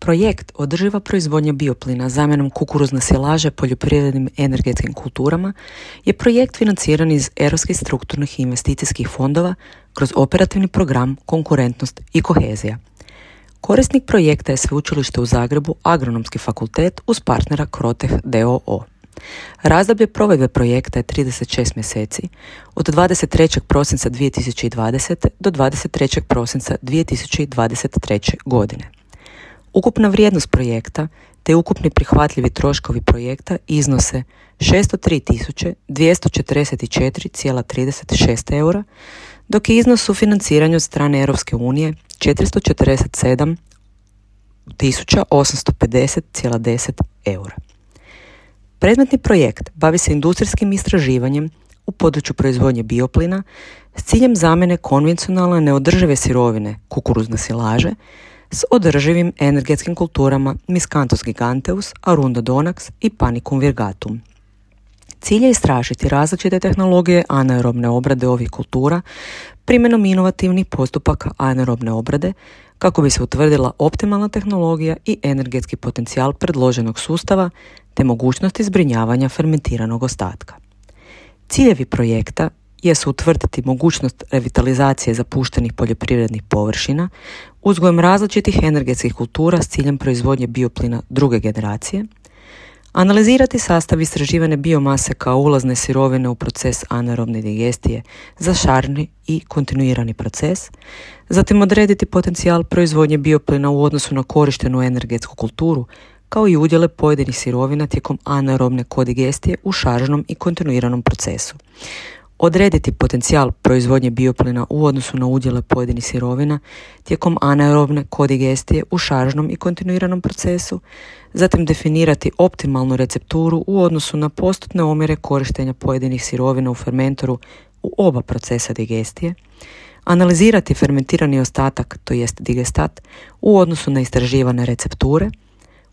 Projekt Održiva proizvodnja bioplina zamjenom kukuruzne silaže poljoprivrednim energetskim kulturama je projekt financiran iz europskih strukturnih i investicijskih fondova kroz operativni program Konkurentnost i kohezija. Korisnik projekta je Sveučilište u Zagrebu, Agronomski fakultet uz partnera Kroteh d.o.o. Razdoblje provedbe projekta je 36 mjeseci, od 23. prosinca 2020. do 23. prosinca 2023. godine. Ukupna vrijednost projekta te ukupni prihvatljivi troškovi projekta iznose 603.244,36 eura, dok je iznos sufinanciranja od strane Europske unije 447.850,10 eura. Predmetni projekt bavi se industrijskim istraživanjem u području proizvodnje bioplina s ciljem zamjene konvencionalne neodržive sirovine kukuruzne silaže s održivim energetskim kulturama Miscanthus giganteus, Arundo donax i Panicum virgatum. Cilj je istražiti različite tehnologije anaerobne obrade ovih kultura primjenom inovativnih postupaka anaerobne obrade kako bi se utvrdila optimalna tehnologija i energetski potencijal predloženog sustava te mogućnosti zbrinjavanja fermentiranog ostatka. Ciljevi projekta jesu utvrditi mogućnost revitalizacije zapuštenih poljoprivrednih površina uzgojem različitih energetskih kultura s ciljem proizvodnje bioplina druge generacije, analizirati sastav istraživane biomase kao ulazne sirovine u proces anaerobne digestije za šarni i kontinuirani proces, zatim odrediti potencijal proizvodnje bioplina u odnosu na korištenu energetsku kulturu kao i udjele pojedinih sirovina tijekom anaerobne kodigestije u šaržnom i kontinuiranom procesu. Odrediti potencijal proizvodnje bioplina u odnosu na udjele pojedinih sirovina tijekom anaerobne kodigestije u šaržnom i kontinuiranom procesu, zatim definirati optimalnu recepturu u odnosu na postotne omjere korištenja pojedinih sirovina u fermentoru u oba procesa digestije, analizirati fermentirani ostatak, to jest digestat, u odnosu na istraživane recepture,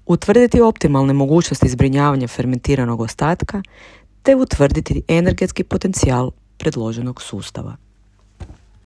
utvrditi optimalne mogućnosti zbrinjavanja fermentiranog ostatka, te utvrditi energetski potencijal predloženog sustava.